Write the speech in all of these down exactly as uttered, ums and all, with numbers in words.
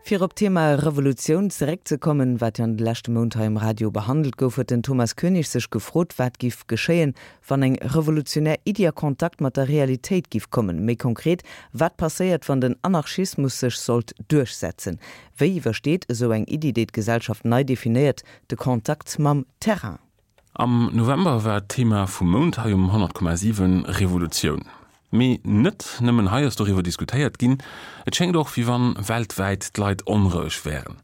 Fir op d'Thema Revolutioun zeréckzekommen, wat jo an de leschte Mount hei um Radio behandelt gouf, huet den Thomas Koenig sech gefrot, wat giff geschéien, wann eng revolutionär Iddi a Kontakt mat der Realitéit giff kommen. Méi konkret, wat passéiert, wann den Anarchismus sech sollt duerchsetzen? Wéi iwwersteet esou eng Iddi, déi d'Gesellschaft nei definéiert, de Kontakt mam Terrain? Am November war d'Thema vum Mount hei um honnert Komma siwen Revolutioun. Mee net nëmmen hei ass doriwwer diskutéiert ginn, et schéngt och wéi wann weltwäit d'Leit onroueg wären.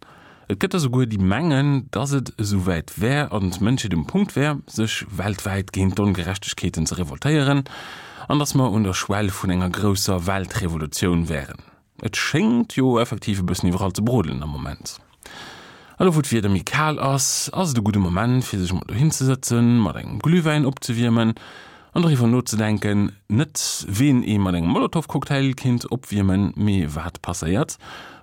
Et gëtt der souguer déi mengen, dass et esouwäit wär an d'Mënschheet um Punkt wär, sech weltwäit géint d'Ongerechtegkeeten ze revoltéieren an dass mer un der Schwell vun enger grousser Weltrevolutioun wären. Et schéngt jo effektiv e bëssen iwwerall ze brodelen am Moment. A lo wou d'Wieder méi kal ass, ass et e gudde Moment fir sech mol dohin ze sëtzen, mat engem Glühwäin opzewiermen an doriwwer nozedenken, net ween ee mat engem Molotowcocktail kinnt opwiermen, mee wat passéiert,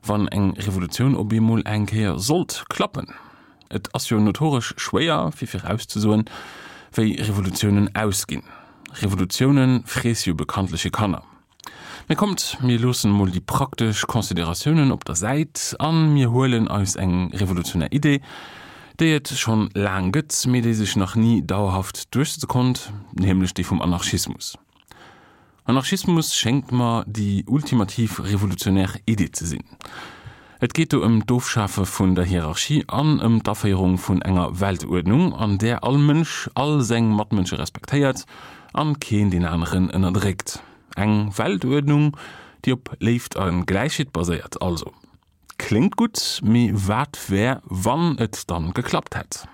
wann eng Revolutioun op eemol eng Kéier sollt klappen. Et ass jo notoresch schwéier fir virauszesoen, wéi Revolutiounen ausginn. Revolutioune friesse jo bekanntlech hir Kanner. Mee kommt, mir loossen emol déi praktesch Consideratiounen op der Säit a mir huelen eis eng revolutionär Idee, déi et schonn laang gëtt, mee déi sech nach ni dauerhaft duerchsetze konnt, nämlech déi vum Anarchismus. Anarchismus schéngt mer déi ultimativ revolutionär Idee ze sinn. Et geet do ëm d'Ofschafe vun der Hierarchie an ëm d'Aféierung vun enger Weltuerdnung, an där all Mënsch all seng Matmënsche respektéiert an keen deen aneren ënnerdréckt. Eng Weltuerdnung, déi op Léift a Gläichheet baséiert also. Kléngt gutt, mee wat wär, wann et dann geklappt hätt?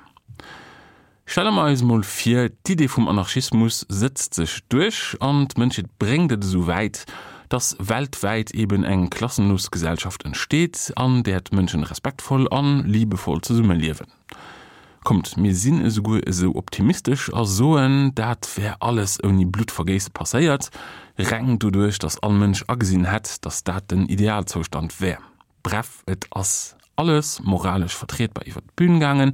Stelle mer eis mol vir, d'Idee vum Anarchismus sëtzt sech duerch an d'Mënschheet bréngt et esou wäit, dass weltwäit eben eng klassenlos Gesellschaft entsteet, an där d'Mënschen respektvoll an liebevoll zesummeliewen. Kommt, mir sinn esouguer esou optimistesch a soen, dat wär alles ouni Bluttvergéisse passéiert, reng doduerch, dass all Mënsch agesinn hätt, dass dat den Idealzoustand wär. Bref, et ass alles moralesch vertrietbar iwwer d'Bün gaangen,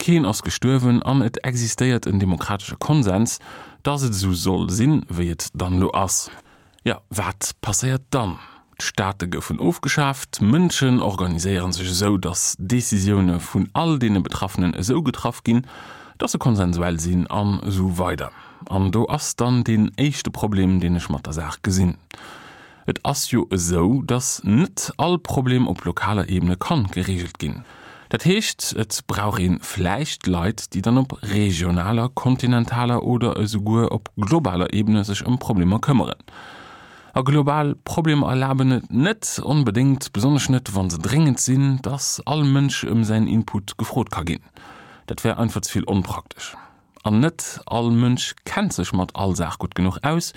keen ass gestuerwen an et existéiert en demokratesche Konsens, dass et esou soll sinn, wéi et dann elo ass. Jo, wat passéiert dann? D'Staate goufen ofgeschaaft, d'Mënschen organiséiere sech esou, datt Decisioune vun all deene Betraffenen esou getraff ginn, datt se konsensuell sinn an esou weider. An do ass dann deen éischte Problem, deen ech mat der Saach gesinn. Et ass jo esou, datt net all Problem op lokaler Ebene kann gereegelt ginn. Dat heescht, et brauch ee vläicht Leit, déi dann op regionaler, kontinentaler oder esouguer op globaler Ebene sech ëm Problemer këmmeren. A global Problemer erlaben et net onbedéngt, besonnesch net wa se dréngend sinn, dass all Mënsch ëm säin Input gefrot ka ginn. Dat wär einfach ze vill onpraktesch. An net all Mënsch kennt sech mat all Saach gutt genuch aus,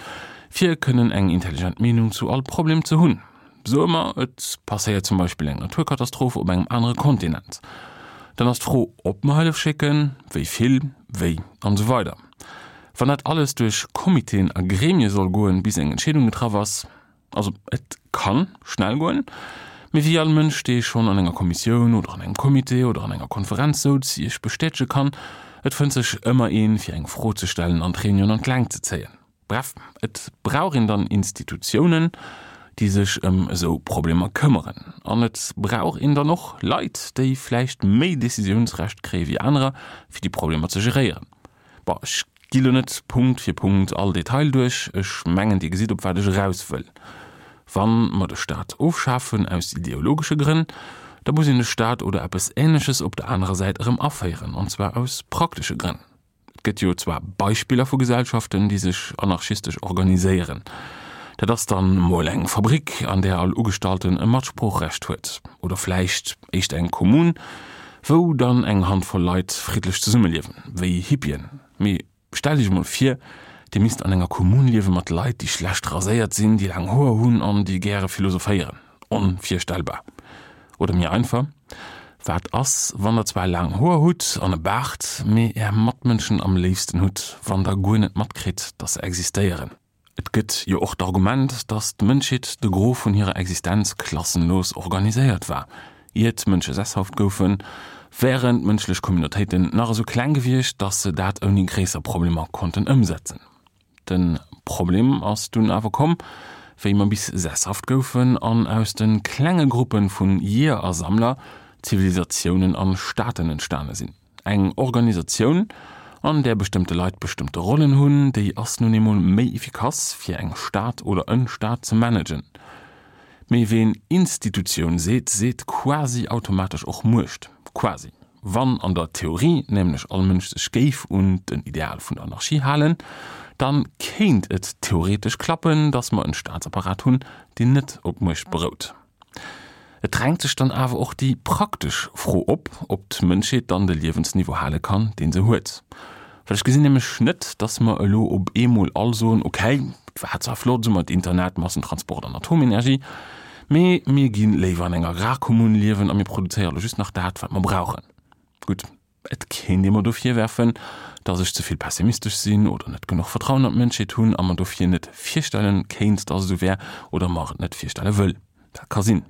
fir kënnen eng intelligent Meenung zu all Problem ze hunn. Soe mer, et passéiert zum Beispill eng Naturkatastroph op engem anere Kontinent. Dann ass d'Fro, ob mer Hëllef schécken, wéi vill, wéi an esou weider. Wann dat alles duerch Comitéen a Gremie soll goen, bis eng Entscheedung getraff ass, also et kann schnell goen, mee wéi all Mënsch, dee schonn an enger Kommissioun oder an engem Comité oder an enger Konferenz souz, Iech bestätege kann, et fënnt sech ëmmer een, fir eng Fro ze stellen an d'Reunion an d'Längt ze zéien. Bref, et brauch een dann Institutiounen, déi sech ëm esou Problemer këmmeren. An et brauch een dann och Leit, déi vläicht méi Decisiounsrecht kréie wéi anerer, fir déi Problemer ze geréieren. Bon, ech gi lo net Punkt fir Punkt all Detail duerch, ech mengen Dir gesitt op wat ech eraus wëll. Wa mer de Staat ofschafen aus ideologesche Grënn, da muss een de Staat oder eppes Ähnleches op der anerer Säit erëm aféieren, an zwar aus praktesche Grënn. Et gëtt jo zwar Beispiller vu Gesellschaften, déi sech anarchistesch organiséieren. Dat ass dann mol eng Fabrik, an där all Ugestallten e Matsproochrecht huet. Oder vläicht éischter eng Kommune, wou dann eng Handvoll Leit friddlech zesummeliewen, wéi Hippien. Mee stellt iech emol vir, dir misst an enger Kommune liewe mat Leit, déi schlecht raséiert sinn, déi laang Hoer hunn an déi gäre philosophéieren. Onvirstellbar. Oder méi einfach, Wat ass, wann der zwar laang Hoer hutt an e Baart, mee är Matmënschen am léifsten hutt, wann der guer net matkritt, dass se existéieren? Et gëtt jo och d'Argument, dass d'Mënschheet de Gros vun hirer Existenz klassenlos organiséiert war. Ier d'Mënsche sesshaft goufen, wären d'mënschlech Communautéiten nach esou kleng gewiescht, dass se dat ouni gréisser Problemer konnten ëmsetzen. De Problem ass dunn awer komm, wéi mer bis sesshaft goufen an aus de klenge Gruppe vun Jeeër a Sammler Zivilisatiounen an Staaten entstane sinn. Eng Organisatioun, an där bestëmmte Leit bestëmmte Rollen hunn, déi ass nun eemol méi efficace fir eng Stad oder en Staat ze managen. Mee ween Institutioun seet, seet quasi automatesch och Muecht. Quasi. Wann an der Theorie nämlech all Mënsch sech géif un den Ideal vun der Anarchie halen, dann kéint et theoretesch klappen, dass mer en Staatsapparat hunn, deen net op Muecht berout. Et drängt sech dann awer och déi praktesch Fro op, ob d'Mënschheet dann de Liewensniveau hale kann, deen se huet. Well ech gesinn nämlech net, dass mer elo op eemol all soen, okay, et war zwar flott esou mat Internet, Massentransport an Atomenergie, mee mir gi léiwer an enger Agrarkommun liewen a mir produzéiere elo just nach dat, wat mer brauchen. Gutt, et kéint ee mer do virwerfen, dass ech ze vill pessimistesch sinn oder net genuch Vertrauen an d'Mënschheet hunn a mer dofir net virstellen kéint, dass et esou wär oder mer et net virstelle wëll. Dat ka sinn.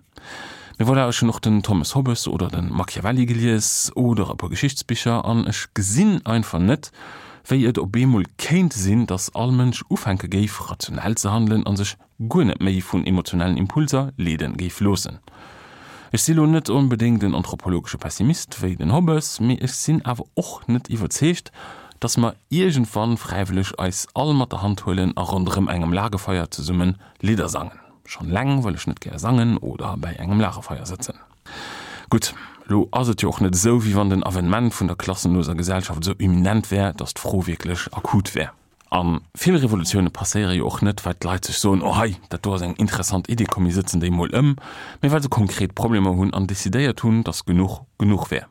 Mee voilà, ech hunn och den Thomas Hobbes oder de Machiavelli gelies oder e puer Geschichtsbicher an ech gesinn einfach net, wéi et op eemol kéint sinn, dass all Mënsch ufänke géif, rationell ze handelen a sech guer net méi vun emotionellen Impulser leede géif loossen. Ech si lo net onbedéngt en anthropologesche Pessimist wéi den Hobbes, mee ech sinn awer och net iwwerzeegt, dass mer iergendwann fräiwëlleg eis all mat der Hand huelen a ronderëm engem Lagerfeuer zesumme Lidder sangen. Schonn eleng well ech net gär sangen oder bäi engem Lagerfeier sëtzen. Gutt, lo ass et jo och net esou, wéi wann den Avènement vun der klassenloser Gesellschaft esou imminent wär, dass d'Fro wierklech akut wär. A vill Revolutioune passéiere jo och net, well d'Leit sech soen, oh hei, dat do ass eng interessant Idee, komm mir sëtzen déi mol ëm, mee well se konkret Problemer hunn an decidéiert hunn, dass genuch genuch wär.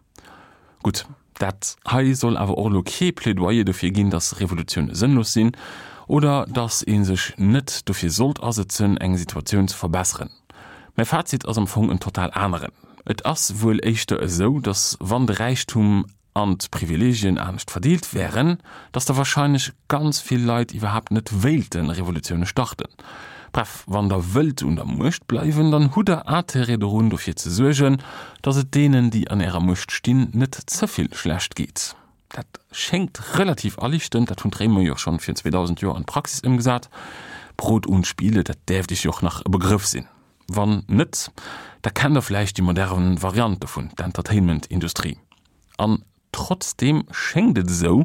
Gutt, dat hei soll awer och elo kee Plädoyer dofir ginn, dass Revolutioune sënnlos sinn oder dass ee sech net dofir sollt asëtzen, eng Situatioun ze verbesseren. Mäi Fazit ass am Fong en total aneren. Et ass wuel éischter esou, dass wann de Räichtum an d'Privileegien anescht verdeelt wären, dass da wahrscheinlech ganz vill Leit iwwerhaapt net wéilte Revolutioune starten. Bref, wann der wëllt un der Muecht bleiwen, dann hutt der Intérêt dorun dofir ze suergen, dass et deenen, déi an ärer Muecht stinn, net ze vill schlecht geet. Dat schéngt relativ aliichtend, dat hunn d'Réimer jo schonn virun zweedausend Joer an d'Praxis ëmgesat. Brot und Spiele, dat däerft iech jo och nach e Begrëff sinn. Wann net, da kennt der vläicht déi modern Variant dovun, d'Entertainment-Industrie. An trotzdeem schéngt et esou,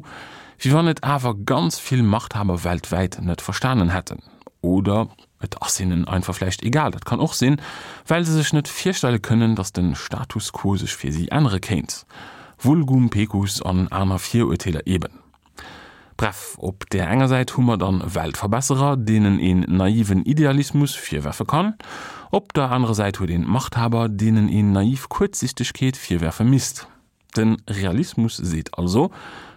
wéi wann et awer ganz vill Machthaber weltwäit net verstanen hätten. Oder et ass hinnen einfach vläicht egal, dat kann och sinn, well se sech net virstelle kënnen, datt de Status quo sech fir si ännere kéint. Vulgum pecus an aner Virurteeler eben. Bref, op där enger Säit hu mer dann Weltverbesserer, deenen een naiven Idealismus virwerfe kann, op der anerer Säit huet een Machthaber, deenen een naiv Kuerzsichtegkeet virwerfe misst. De Realismus seet also,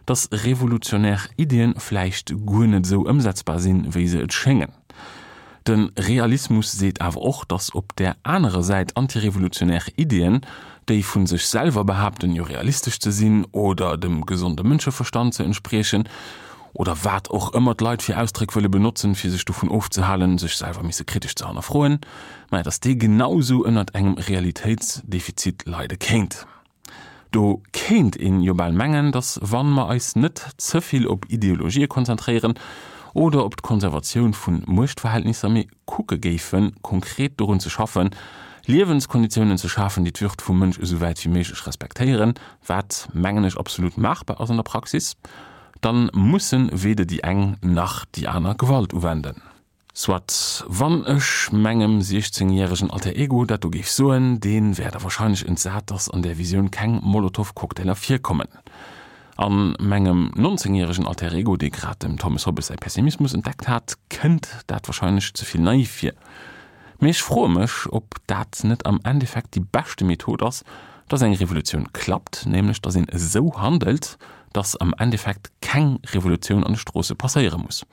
dass revolutionär Iddien vläicht guer net esou ëmsetzbar sinn, wéi se et schéngen. De Realismus seet awer och, dass op där anerer Säit antirevolutionär Iddien, déi vu sech selwer behaapten, jo realistesch ze sinn oder dem gesonde Mënscheverstand ze entspriechen, oder wat och ëmmer d'Leit fir Ausdréck wëlle benotzen, fir sech dovun ofzehalen, sech selwer misse kritesch ze hannerfroen, maja, dass déi genausou ënnert engem Realitéitsdefizit leide kéint. Do kéint een jo bal mengen, dass wann mer eis net ze vill op Ideologië konzentréieren oder op d'Konservatioun vun Muechtverhältnisser, mee kucke géifen, konkret dorun ze schaffen, Liewenskonditiounen ze schafen, déi d'Würd vum Mënsch esou wäit wéi méiglech respektéieren, wat, mengen ech, absolut maachbar ass an der Praxis, dann mussen weder déi eng nach déi aner Gewalt uwenden. Soit, wann ech mengem siechzéngjäregen Alter Ego dat do géif soen, dee wär da wahrscheinlech entsat, dass an där Visioun keng Molotowcocktailer virkommen. A mengem nonzéngjäregen Alter Ego, dee grad dem Thomas Hobbes säi Pessimismus entdeckt hat, kënnt dat wahrscheinlech ze vill naiv vir. Mee ech froe mech, ob dat net am Endeffekt déi beschte Method ass, dass eng Revolutioun klappt, nämlech dass een esou handelt, dass am Endeffekt keng Revolutioun an de Stroosse passéiere muss.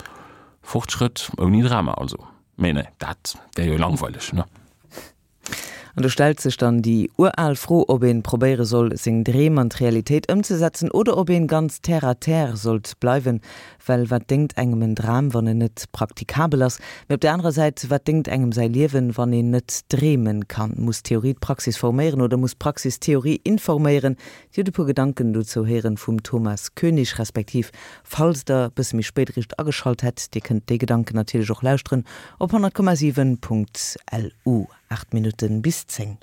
Fortschrëtt ouni Drama also. Mee nee, dat wär jo langweileg, ne? An do stellt sech dann déi ural Fro, ob een probéiere soll, seng Dreem an d'Realitéit ëmzesetzen oder ob een ganz terre à terre sollt bleiwen, well wat déngt engem en Dram, wann en net praktikabel ass. Mee op der anerer Säit, wat déngt engem säi Liewen, wann een net dreemen kann? Muss Theorie d'Praxis forméieren oder muss Praxis Theorie informéieren? Dir hutt e puer Gedanken dozou héieren vum Thomas Koenig, respektiv falls der e bësse méi spéit eréischt ageschalt hätt, dir kënnt déi Gedanken natierlech och lauschteren op honnert Komma siwen Punkt LU. Aacht Minutten bis zéng.